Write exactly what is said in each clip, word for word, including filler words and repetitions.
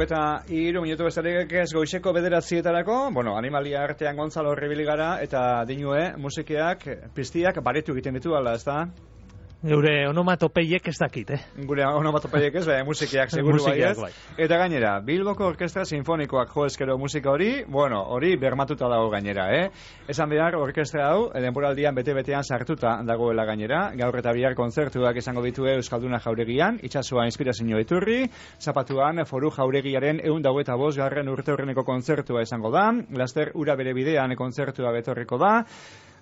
eta hiru minutu bestarik ez goizeko bederatzietarako, bueno, animalia artean Gonzalo horribili gara, eta dinue musikeak, piztiak baretu egiten ditu, ala, ez da? Gure onomatopeiek ez dakit, eh? Gure onomatopeiek ez, baina musikiak seguru bai ez. Bai. Eta gainera, Bilboko Orkestra Sinfonikoak jo eskero musika hori, bueno, hori bermatuta dago gainera, eh? Esan behar, orkestra hau, denboraldian bete-betean sartuta dagoela gainera, gaur eta bihar kontzertuak izango ditue Euskalduna Jauregian, itsasoa inspirazio iturri, Zapatuan Foru Jauregiaren ehun eta hogeita bost garren urte horreneko kontzertua izango da, laster ura bere bidean kontzertua betorriko da,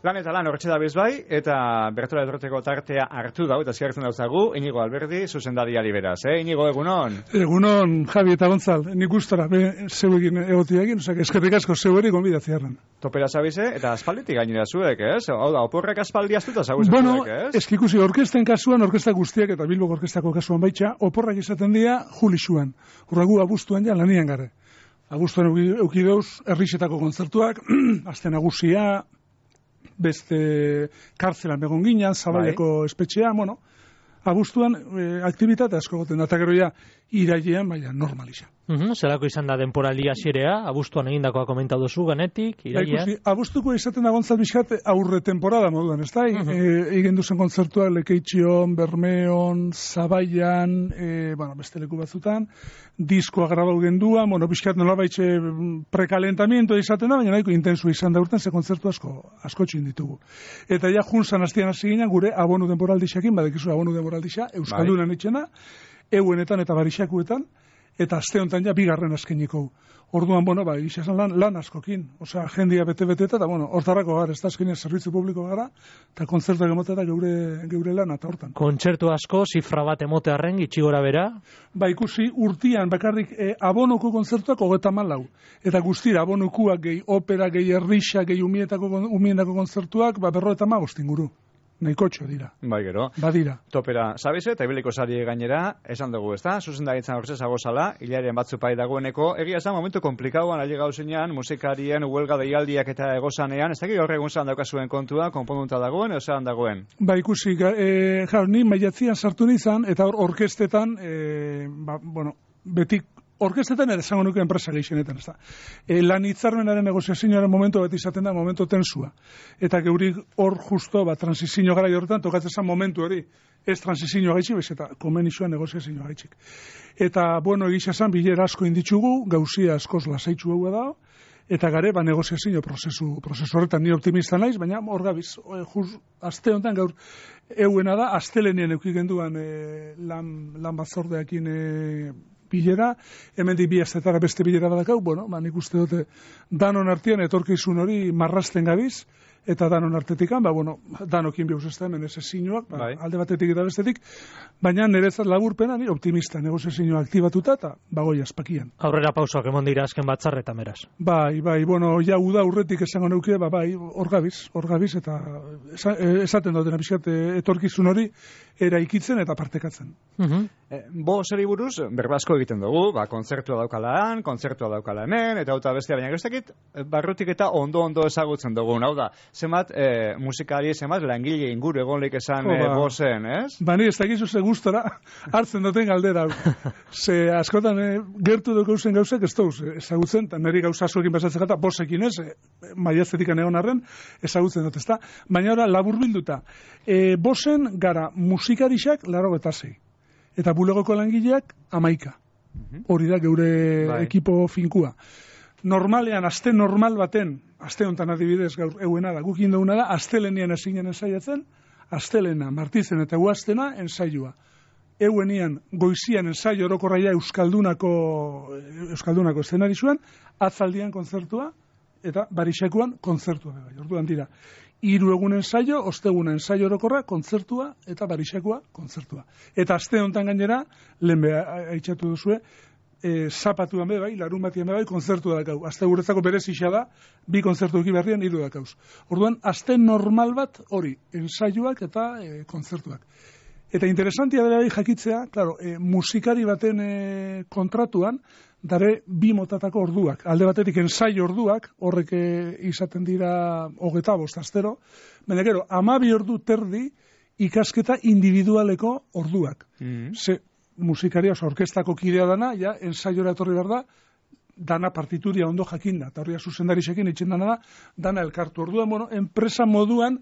lan eta lan hortxe da bezbai, eta Bertola Edroteko tartea hartu dau, eta ziertzen dauzagu, Inigo Alberdi, zuzendariari beraz, eh? Inigo, egunon? Egunon, Javi eta Gonzal, nik gustora, be, zeuekin egotiagin, osak, eskerrik asko zeueri gonbidatziarren. Topera zabize, eta aspalditik gainera zuek, ez? Hau da, oporrak aspaldi astuta zaguzen bueno, zuek, ez? Bueno, eskikusi, orkesten kasuan, orkesta guztiak, eta Bilboko orkestako kasuan baitxa, oporrak izaten dira julixuan. Urragu abuztuan ja lanian gare. Abuztuan eukideuz, errixetako kontzertuak, aste nagusia, beste kartzelan begon ginen, Zabaleko espetxea, bueno, abuztuan e, aktibitate asko goten, eta gero ja, irailean, baina normaliza. Uhum, zerako izan da denporaldia xerea, abuztuan egindakoa komentatu duzu ganetik, irailean? Ba, abuztuko izaten da Gontzal Bizkat aurre temporada moduan, ez da? Uh-huh. E, egin duzen kontzertuak Lekeitxion, Bermeon, Zabaian, e, bueno, beste leku batzutan, diskoa grabau gendua, bueno, Bizkat nola baitxe prekalentamiento izaten da, baina nahiko intensu izan da urten, ze kontzertu asko, asko txin ditugu. Eta ja, junzan hastian hasi ginen, gure abonu denporaldixakin, badekizu abonu denporaldixa, Euskaldunan itxena, euenetan eta barixakuetan, eta aste honetan ja bigarren askeniko. Orduan, bueno, ba, izan lan, lan askokin. Osea, jendia bete-bete eta, bueno, hortarako gara, ez da azkenean zerbitzu publiko gara, eta kontzertuak emote da geure, geure lan eta hortan. Kontzertu asko, zifra bat emote arren, gitxigora bera? Ba, ikusi, urtian, bakarrik, e, abonoko kontzertuak hogeta malau. Eta guztira, abonokuak gehi opera, gehi errixa, gehi umietako, umiendako kontzertuak, ba, berro eta magostin guru. Nahikotxo dira. Bai, gero. Badira. Topera, sabize, eta ibiliko sari gainera, esan dugu, ez da? Zuzendaritzan hortzez agozala, hilaren batzu pai dagoeneko. Egia esan, momentu komplikauan, ali gauzenean, musikarien, huelga deialdiak eta egozanean, ez dakik gaur egun zan daukazuen kontua, konponunta dagoen, edo zelan dagoen? Ba, ikusi, e, jar, ni maiatzian sartu nizan, eta hor orkestetan, e, ba, bueno, betik, orkestetan ere zango nuke enpresa gehienetan, ez da. E, lan hitzarmenaren negoziazioaren momentu bat izaten da, momentu tensua. Eta geuri hor justo, ba, transizio gara horretan, tokatzen zen momentu hori, ez transizio gaitxik, bez, eta komenizioa negoziazio gaitxik. Eta, bueno, egisa zen, bilera asko inditzugu, gauzia askoz lasaitzu hau da, eta gare, ba, negoziazio prozesu, prozesu horretan ni optimista naiz, baina hor gabiz, juz, aste honetan gaur, euena da, astelenien eukik genduan e, lan, lan batzordeakin e, bilera, hemen di bi astetara beste bilera badakau, bueno, ba, nik uste dute danon artean etorkizun hori marrasten gabiz, eta danon artetikan, ba, bueno, danokin bihauz ez da hemen ez ezinuak, ba, alde batetik eta bestetik, baina niretzat laburpena, ni optimista, negoziazioa aktibatuta eta bagoi azpakian. Aurrera pausoak emon dira azken batzarretan beraz. Bai, bai, bueno, ja uda urretik esango neuke, ba, bai, hor gabiz, hor gabiz, eta esaten dutena bizkat etorkizun hori eraikitzen eta partekatzen. Uh-huh. E, bo zeri buruz, berbasko egiten dugu, ba, kontzertua daukala han, kontzertua daukala hemen, eta hauta bestia, baina guztakit, barrutik eta ondo-ondo ezagutzen dugu, hau da, zemat e, musikari, zemat langile inguru egon leik esan e, bozen, ez? Ba, ni ez dakizu ze gustora hartzen duten galdera. Ze askotan e, gertu duk gauzen gauzek ez dauz ezagutzen, eta niri gauza askoekin pasatzen gata, bosekin ez, e, maiaztetik egon arren, ezagutzen dut, ez da? Baina ora, labur bilduta, e, bosen gara musikarixak laro eta zei. Eta bulegoko langileak amaika. Hori da geure bai. Ekipo finkua. Normalean, aste normal baten, aste honetan adibidez gaur euena da, gukin dauna da, astelenian esinen ensaiatzen, astelena, martizen eta guaztena ensaioa. Euenian goizian ensaio orokorraia Euskaldunako, Euskaldunako eszenarizuan, atzaldian kontzertua, eta barixakuan kontzertua. Orduan dira. Hiru egun ensaio, ostegun ensaio orokorra, kontzertua eta barixakoa kontzertua. Eta aste honetan gainera, lehen beha aitzatu duzue, e, zapatuan be bai, larun batian be bai, kontzertua dakau. Aste guretzako berezixa da, bi kontzertu eki berrian, hiru dakauz. Orduan, aste normal bat hori, ensaioak eta e, kontzertuak. Eta interesantia dela bai jakitzea, claro, e, musikari baten e, kontratuan, dare bi motatako orduak. Alde batetik ensaio orduak, horrek izaten dira hogeta bost astero, baina gero, hamabi ordu terdi ikasketa individualeko orduak. Mm-hmm. Ze musikaria, oso orkestako kidea dana, ja, ensaiora etorri behar da, dana partituria ondo jakinda, eta horria zuzendarixekin itxen dana da, dana elkartu. Orduan, bueno, enpresa moduan,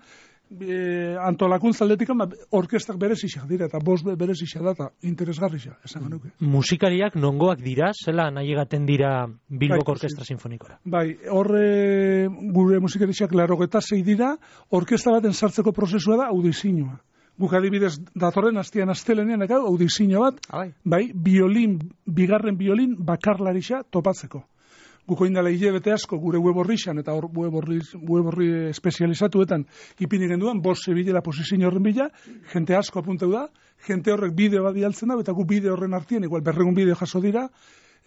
e, antolakuntza aldetikan, ba, orkestak berezixak dira, eta bost berezixak da, eta interesgarrixak, esan nuke. Musikariak nongoak dira, zela nahi egaten dira Bilboko Bai, Orkestra Sinfonikora? Bai, horre gure musikarixak larogeta zei dira, orkesta baten sartzeko prozesua da audizioa. Guk adibidez, datorren astian astelenean, ekau, audizio bat, Abai. bai, biolin, bigarren biolin bakarlarixa topatzeko. Guko indala hilabete asko gure web horrixan, eta hor web horri, web horri espezializatuetan ipini genduan, bost zebilela posizio horren bila, jente asko apunteu da, jente horrek bideo bat dialtzen da, eta gu bideo horren artien, igual berregun bideo jaso dira,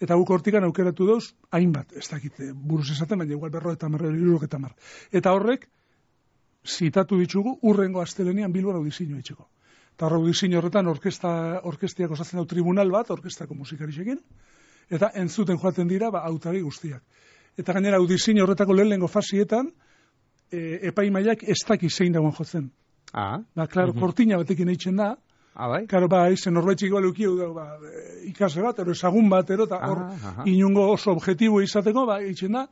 eta guk hortikan aukeratu dauz, hainbat, ez dakit, buruz esaten, baina igual berro eta marre, irurok eta mar. Eta horrek, zitatu ditugu, urrengo astelenean Bilbon audizioa itxeko. Eta hor audizio horretan orkesta, orkestiak osatzen dau tribunal bat, orkestako musikarixekin, eta entzuten joaten dira, ba, hautari guztiak. Eta gainera audizio horretako lehenengo fasietan, e, epaimaiak ez daki zein dagoen jotzen. Ah. Ba, klaro, Mhm. kortina batekin eitzen da, Ah, bai. Karo, ba, izen norbaitxik igual eukiu da, ba, ikasle bat, ero ezagun bat, ero, eta hor, Ah, aha. inungo oso objetibo izateko, ba, eitzen da,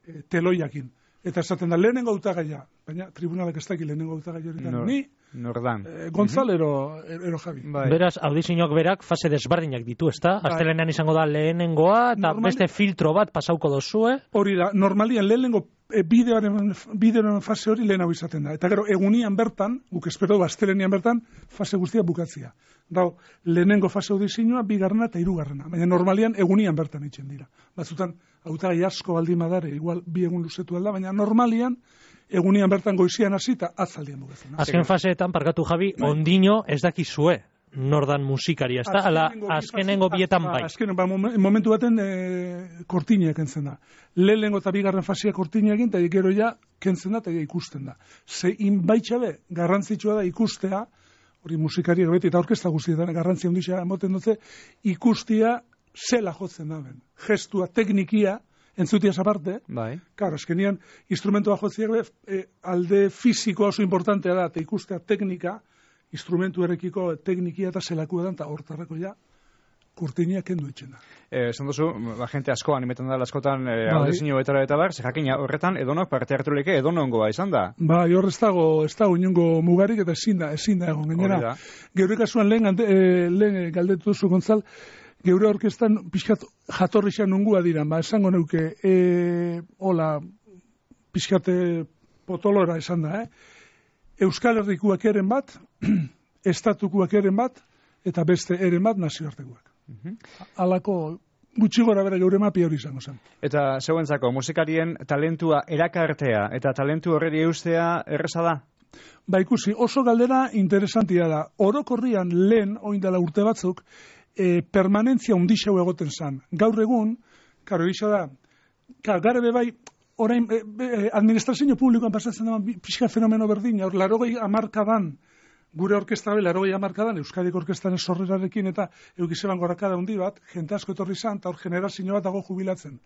e, teloiakin. Eta esaten da, lehenengo hautagaia, baina tribunalak ez daki lehenengo hautagaia horretan. Nor- Ni, Nordan. e, Gonzal, ero, ero Javi. Bai. Beraz, audizioak berak fase desberdinak ditu, ezta? Bai. Astelenean izango da lehenengoa, eta Normali- beste filtro bat pasauko dozue. Hori da, normalian lehenengo e, bideoaren, bideoaren fase hori lehenago izaten da. Eta gero, egunian bertan, guk espero du, astelenian bertan, fase guztia bukatzia. Dau, lehenengo fase audizioa, bigarrena eta hirugarrena. Baina normalian egunian bertan itzen dira. Batzutan, hautagai asko baldin badare, igual bi egun luzetu alda, baina normalian, egunian bertan goizian hasi eta atzaldian bukatzen. Azken faseetan, parkatu Javi, ondino ez dakizue nordan musikaria, ezta? Ala, azkenengo bietan bai. Azken, ba, momen- momentu baten e, kortinak kentzen da. Lehenengo eta bigarren fasia kortinak egin, eta gero ja kentzen da, eta ja ikusten da. Ze inbaitxabe, garrantzitsua da ikustea, hori musikariak beti, eta orkesta guztietan, garrantzia ondixea emoten dutze, ikustia zela jotzen da ben. Gestua, teknikia, entzutiaz aparte, Bai. Claro, azkenian, instrumentua jotziak e, alde fisikoa oso importantea da, eta ikustea teknika, instrumentu errekiko teknikia eta zelakua da, eta hortarrako ja, kurtinia kendu etxen da. Eh, esan duzu, ba, gente asko animetan da askotan eh, Bai. audizio etara eta bar, ze jakina horretan edonok parte hartu leke edonongoa izan da. Ba, hor ez dago, ez dago inongo mugarik, eta ezin da, ezin da egon, Hori gainera. da. Geure kasuan lehen, ante- eh, lehen galdetu duzu, Gonzal, geure orkestan pixkat jatorrixan nungua dira, ba, esango neuke, e, hola, pixkate potolora esan da, eh? Euskal Herrikuak eren bat, estatukuak eren bat, eta beste eren bat nazioartekoak. Halako gutxi gora bera geure mapi hori izango zen. Eta zeuentzako musikarien talentua erakartea eta talentu horreri eustea erresa da? Ba ikusi, oso galdera interesantia da. Orokorrian lehen, oindala urte batzuk, e, permanentzia undixau egoten zan. Gaur egun, karo, isa da, karo, garebe bai, orain, e, e, administrazio publikoan pasatzen da, pixka fenomeno berdina, hor, larogei amarkadan, gure orkestra bela, larogei amarkadan, Euskadiko orkestaren sorrerarekin eta eukizeban gorakada hundi bat, jente asko etorri zan, eta hor generazio bat dago jubilatzen.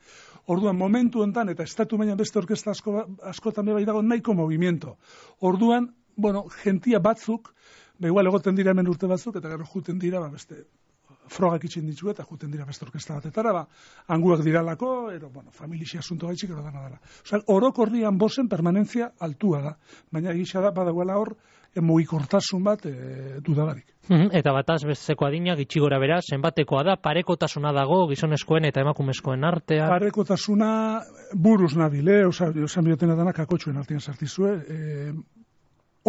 Orduan, momentu enten, eta estatu mailan beste orkesta asko, askotan bai dago nahiko movimiento. Orduan, bueno, gentia batzuk, ba igual egoten dira hemen urte batzuk, eta gero juten dira, ba beste, frogak itxin ditu eta juten dira beste orkesta batetara, ba, anguak diralako, ero, bueno, familia asunto gaitxik, ero dana dara. Osa, orokorrian bosen permanentzia altua da, baina egisa da, badagoela hor, mugikortasun bat e, dudabarik. Mhm, Eta bataz besteko adina gitxi gora bera, zenbatekoa da, parekotasuna dago gizonezkoen eta emakumezkoen artean. Parekotasuna buruz nabil, eh? Osa, osan biotena dana kakotxuen artean sartizue, e,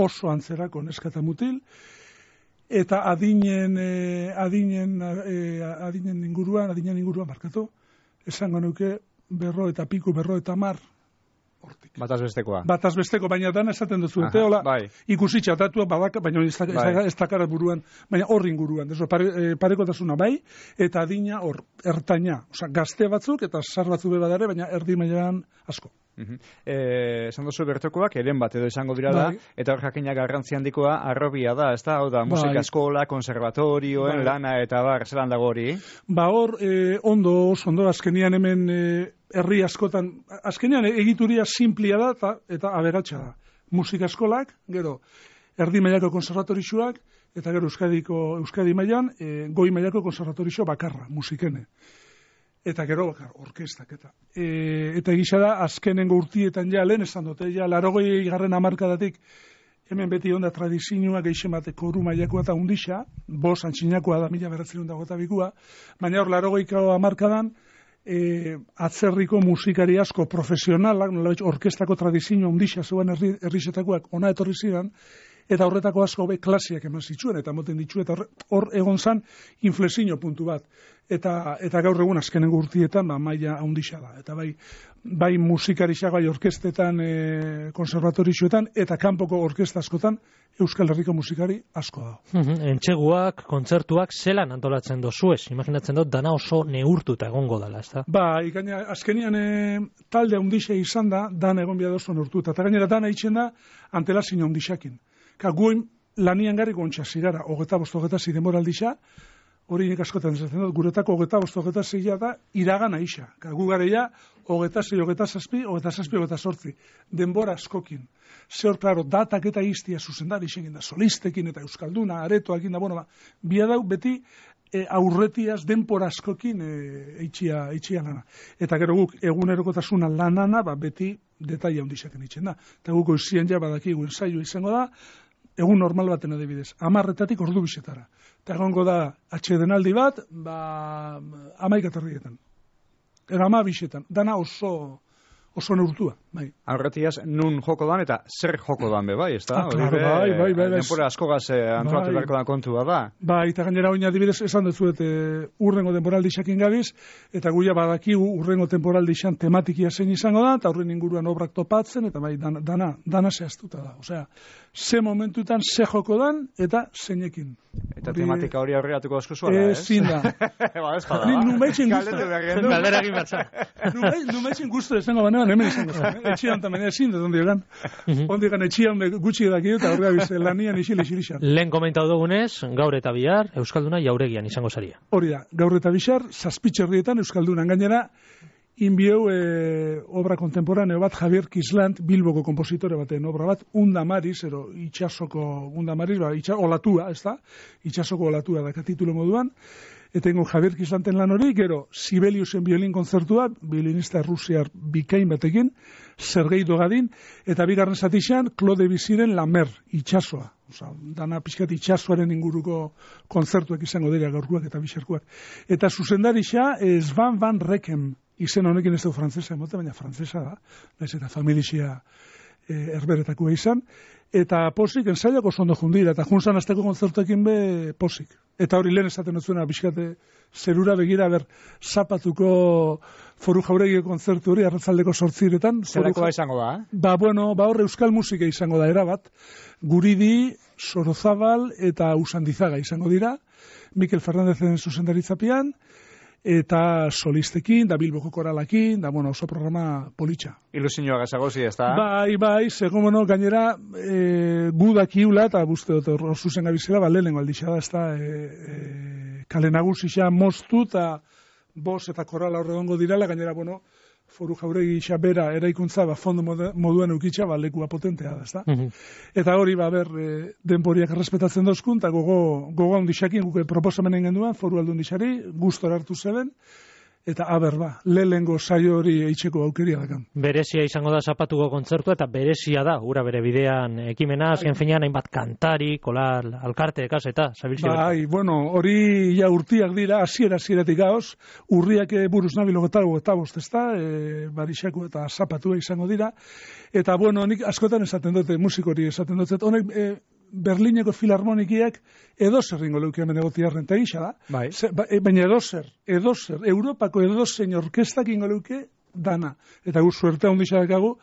oso antzerako neska eta mutil, eta adinen, e, adinen, e, adinen inguruan, adinen inguruan markatu, esango nuke berro eta piku, berro eta mar, hortik. Bataz bestekoa. Bataz besteko, baina dana esaten duzu, Aha, eta hola, bai. ikusi txatatua, babaka, baina ez da- ez da- Bai. ez dakara buruan, baina horri inguruan, deso, pare, e, parekotasuna bai, eta adina hor, ertaina, osea, gazte batzuk, eta sar batzu be badare, baina erdi mailan asko. Mhm. Eh, esan duzu bertokoak eren bat edo izango dira da, Bai. eta hor jakina garrantzi handikoa arrobia da, ez da? Hau da, musika Bai. eskola, konservatorioen, Bai. lana eta bar, zelan dago hori? Ba hor, e, ondo, oso ondo, azkenian hemen e, herri askotan, azkenian egituria simplia da eta, eta aberatsa da. Musika eskolak, gero, erdi mailako konservatorixoak, eta gero Euskadiko, Euskadi mailan, e, goi mailako konservatorixo bakarra, musikene. Eta gero bakar, orkestak, eta. E, eta egisa da, azkenengo urtietan ja, lehen esan dute, ja, larogoi garren amarkadatik, hemen beti onda tradizioa geixen bate koru mailakoa eta undisa, bos antxinakoa da, mila beratzen dago eta bikua, baina hor larogoiko amarkadan, e, atzerriko musikari asko profesionalak, nolabait orkestako tradizioa undisa zeuen herrisetakoak ona etorri zidan, eta horretako asko be klasiak eman zituen, eta moten ditu, eta hor egon zan inflexio puntu bat. Eta, eta gaur egun azkenengo urtietan, ba, maila handisa da. Eta bai, bai musikarisak, bai orkestetan, e, konservatorixoetan, eta kanpoko orkesta askotan, Euskal Herriko musikari asko da. Entxeguak, kontzertuak, zelan antolatzen dozuez? Imaginatzen dut, dana oso neurtuta egongo dela, ez da? Ba, ikaina, azkenian e, talde handisa izan da, dan egon bia oso neurtuta. Eta gainera dana itxen da, antelazio handisakin. Ka guen lanian garri gontxa zigara, hogeta bost hogeta zi demoraldisa, hori nik askotan esaten dut, guretako hogeta bost hogeta zila da, iragana isa. Ka gu gareia, hogeta zi, hogeta zazpi, hogeta zazpi, hogeta sortzi. Denbora askokin. Zehor, klaro, datak eta iztia zuzendari izegin da, solistekin eta euskalduna, aretoakin da, bueno, ba, bia dau beti e, aurretiaz denbora askokin e, eitxia, eitxia lana. Eta gero guk, egunerokotasuna lanana, ba, beti detaila hundizaken itxen da. Eta guk oizien ja badakigu ensaio izango da, egun normal baten adibidez, amarretatik ordu bisetara. Eta egongo da atxedenaldi bat, ba, amaik aterrietan. Era ama bisetan. Dana oso, oso neurtua. Bai. Aurretiaz, nun joko dan eta zer joko dan be, bai, ez da? Ah, claro, bai, bai, bai. Denpora askogaz antolatu beharko da kontua da. Bai, eta gainera oin adibidez, esan dutzuet, urrengo temporaldi xakin gabiz, eta guia badakigu urrengo temporaldi xan tematikia zein izango da, eta urren inguruan obrak topatzen, eta bai, dana, dana, dana zehaztuta da. Osea, ze momentutan ze joko dan, eta zeinekin. Eta tematika hori aurreatuko asko zuela, ez? Ezin da. Ba, ez bada. Nik numeitzen guztu. Galdera egin bertza. Numeitzen guztu esango banean, hemen izango zen. Etxian tamen ezin dut, ondi egan. Ondi egan etxian gutxi edaki dut, aurrea bize lanian isil isilixan. Lehen komentau dugunez, gaur eta bihar, Euskalduna jauregian izango zaria. Hori da, gaur eta bihar, zazpitxerrietan Euskaldunan gainera, inbieu e, obra kontemporaneo bat, Javier Kislant, Bilboko kompositore baten obra bat, Unda Mariz, ero itxasoko Unda Mariz, ba, itxa, olatua, ez da? Itxasoko olatua da, titulu moduan. Eta ingo Javier Kislanten lan hori, gero, Sibeliusen biolin kontzertua, violinista rusiar bikain batekin, Sergei Dogadin, eta bigarren zatixan, Claude Biziren Lamer, itxasoa. Osa, dana pixkat itxasoaren inguruko kontzertuak izango dira gaurkuak eta bixerkuak. Eta zuzendarisa, Svan Van Rekem, izen honekin ez dugu frantzesa emote, baina frantzesa da, naiz eta familixia e, erberetakua izan, eta posik ensaiako oso ondo jundira, eta junzan azteko kontzertuekin be posik. Eta hori lehen esaten dutzuena, bizkate zerura begira, ber, zapatuko Foru Jauregiko kontzertu hori, arratzaldeko sortziretan. Zerakoa izango da, eh? Ba, bueno, ba hor euskal musika izango da, erabat. Guridi, Sorozabal eta Usandizaga izango dira, Mikel Fernandezen zuzendaritzapian, eta solistekin, da Bilboko koralakin, da, bueno, oso programa politxa. Ilusioa gazagozi, ez da? Bai, bai, segun, bueno, gainera, e, gudak iula, eta buzte dut, hor zuzen gabizela, ba, lehenengo aldixa da, ez da, e, e, kale nagusia moztu, eta bos eta korala horre dongo dirala, gainera, bueno, Foru Jauregi isa bera eraikuntza, ba, fondo moduan eukitza, ba, lekua potentea da, ez da? Mm-hmm. Eta hori, ba, ber, e, denporiak errespetatzen dozkun, eta gogo, gogo handixakin, guke proposamenen genduan, Foru Aldundixari, gustora hartu zeben, eta aber, ba, lehengo saio hori eitzeko aukeria dakan. Berezia izango da zapatuko kontzertua, eta berezia da, ura bere bidean ekimena, azken finean, hainbat kantari, kolar, alkarte, kaseta, zabilzio. Bai, bueno, hori ja urtiak dira, hasiera hasieratik gaoz, urriak buruz nabil ogetago eta bost, ez da, e, barixako eta zapatua izango dira, eta, bueno, nik askotan esaten dute, musikori esaten dute, honek, e, Berlineko filarmonikiak edozer ringo leuke hemen egotiarren, eta gisa da. Bai. Ze, ba, e, baina edozer, edozer, Europako edozein orkestak ingo leuke dana. Eta gu suertea ondisa dakagu,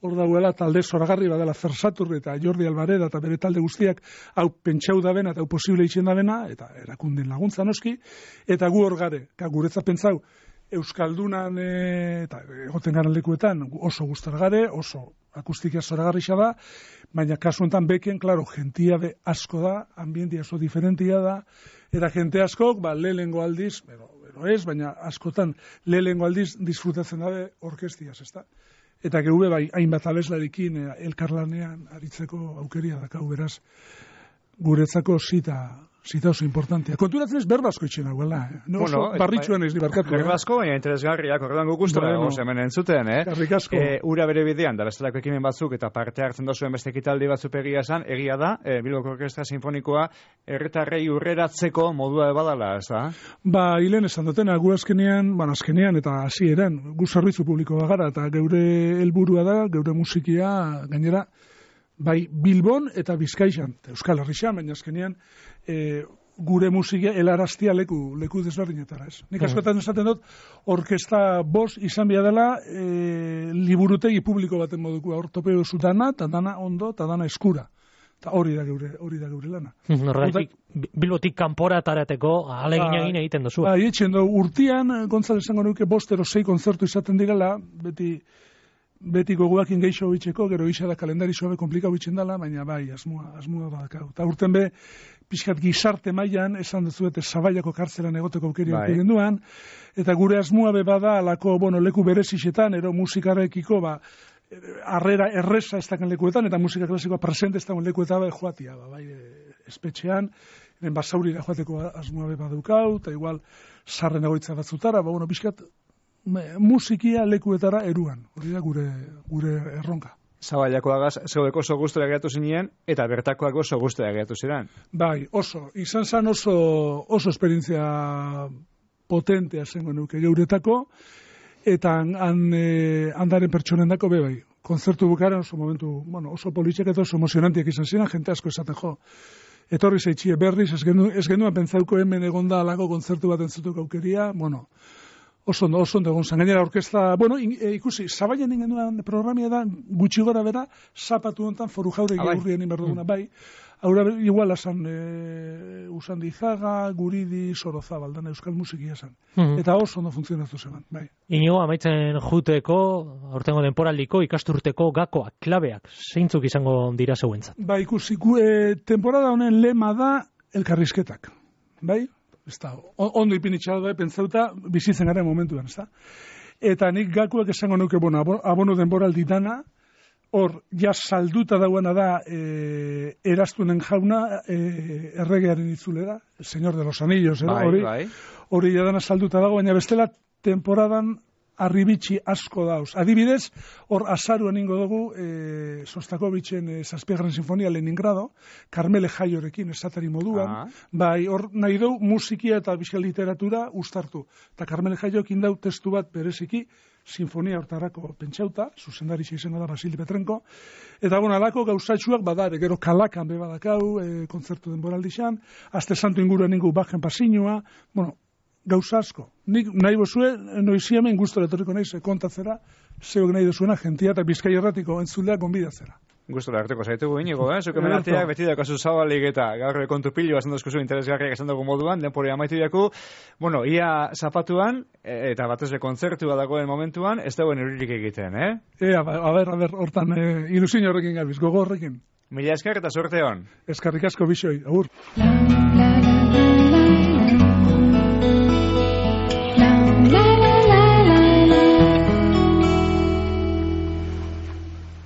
hor dagoela talde zoragarri badela Fersatur eta Jordi Albareda eta bere talde guztiak hau pentsau da bena eta hau posible itxen da bena, eta erakunden laguntza noski, eta gu hor gare, ka guretza pentsau, Euskaldunan e, eta egoten garen lekuetan oso gustargare, oso akustikia zoragarrixa da, baina kasu enten beken, klaro, gentia be asko da, ambientia oso diferentia da, eta jente askok, ba, lehengo aldiz, bero, bero ez, baina askotan lehengo aldiz disfrutatzen dabe orkestiaz, ez da? eta geube bai hainbat abeslarikin elkarlanean aritzeko aukeria dakau, beraz, guretzako zita, zita oso importantea. Konturatzen ez berbasko itxen hauela, eh? No, bueno, oso barritxuan ez dibarkatu. Berbasko, baina interesgarriak, horretan gukustera bueno, dago hemen entzuten, eh? Garrikasko. E, ura bere bidean, da bestelako ekimen batzuk, eta parte hartzen dozuen beste ekitaldi batzuk egia esan, egia da, e, Bilboko Orkestra Sinfonikoa herritarrei urreratzeko modua badala, ez da? Ba, hilen esan dutena, gu azkenean, bueno, azkenean eta hasieran gu zerbitzu publikoa gara, eta geure helburua da, geure musikia, gainera, bai Bilbon eta Bizkaian, Euskal Herrixan, baina azkenean e, gure musikia helaraztia leku, leku desberdinetara, ez? Nik askotan esaten dut, orkesta bost izan bia dela e, liburutegi publiko baten moduko, hor topeo zutana, eta dana ondo, eta dana eskura. Eta hori da geure, hori da geure lana. Horregatik, Bilbotik kanpora tarateko ahalegin egin egiten duzu. Ba, etxen du, urtian, Gontzal esango nuke, bostero sei kontzertu izaten direla, beti beti gogoakin geixo bitxeko, gero gisa da kalendari sobe komplikau bitxen dela, baina bai, asmua, asmua badakau. Eta urten be, pixkat gizarte mailan, esan duzuete, Zabaiako kartzelan egoteko aukeria bai. Genduan, eta gure asmua be bada, alako, bueno, leku berezixetan, ero musikarekiko, ba, harrera erresa ez daken lekuetan, eta musika klasikoa presente ez daken lekuetan, bai, joatia, ba, bai, espetxean, eren basaurira joateko asmua be badukau, eta igual, sarren egoitza batzutara, ba, bueno, pixkat, musikia lekuetara eruan, hori da gure, gure erronka. Zabaiako agaz, zeudeko oso guztura geratu zinien, eta bertakoak oso guztura geratu ziren. Bai, oso, izan zan oso, oso esperientzia potentea zengo nuke geuretako, eta han, eh, handaren pertsonen dako be bai. Konzertu bukaren oso momentu, bueno, oso politxek eta oso emozionantiak izan ziren, jente asko esaten jo. Etorri zeitxie berriz, ez genuen, ez genuen pentsauko hemen egonda alako konzertu bat entzutuk aukeria, bueno, oso ondo, oso ondo egon zan. Gainera orkestra, bueno, in, e, ikusi, Zabaian ingenuen programia da, gutxi gora bera, zapatu hontan foru jauregi ah, aurrien inberduguna, mm. bai. Aura, igual asan, e, Usandi Izaga, Guridi, Sorozabal, dana euskal musikia esan. Mm-hmm. Eta oso ondo funtzionatu zeban, bai. Ino, amaitzen juteko, aurtengo denporaldiko, ikasturteko gakoak, klabeak, zeintzuk izango dira zeuentzat? Bai, ikusi, e, temporada honen lema da elkarrizketak, bai? Ez da, ondo ipinitxal bai, pentsauta, bizitzen garen momentuan, ez da? Eta nik gakuak esango nuke, bueno, abono denboraldi dana, hor, ja salduta dauana da, e, eraztunen jauna, e, erregearen itzulera, el señor de los anillos, eh, hori, bai, hori bai. Dana salduta dago, baina bestela temporadan arribitxi asko dauz. Adibidez, hor azaruan ingo dugu, e, Sostakovitzen e, Zazpigarren Sinfonia Leningrado, Karmele Jaiorekin esatari moduan, ah. bai, hor nahi dugu musikia eta bizkal literatura ustartu. Eta Karmele Jaioekin dau testu bat bereziki, sinfonia hortarako pentsauta, zuzendaritza izango da Basili Petrenko, eta bueno, alako gauzatxuak badare, gero Kalakan be badakau, e, kontzertu denboraldixan, Aste Santo inguruen ingu bajen pasinua, bueno, gauza asko. Nik nahi bozue, noizi hemen gustora etorriko naiz kontatzera, zeok nahi dozuena, jentia eta Bizkai erratiko entzuleak gonbidatzera. Gustora hartuko zaitugu inigo, eh? Zuke menartiak beti dakazu zabalik eta gaur kontu pilu esan dozkuzu interesgarriak esan dugu moduan, denpori amaitu jaku, bueno, ia zapatuan, eta batezle kontzertua dagoen momentuan, ez dagoen euririk egiten, eh? Ea, a ber, a ber, hortan e, ilusin horrekin gabiz, gogo horrekin. Mila esker eta sorte hon. Eskarrik asko bisoi, agur.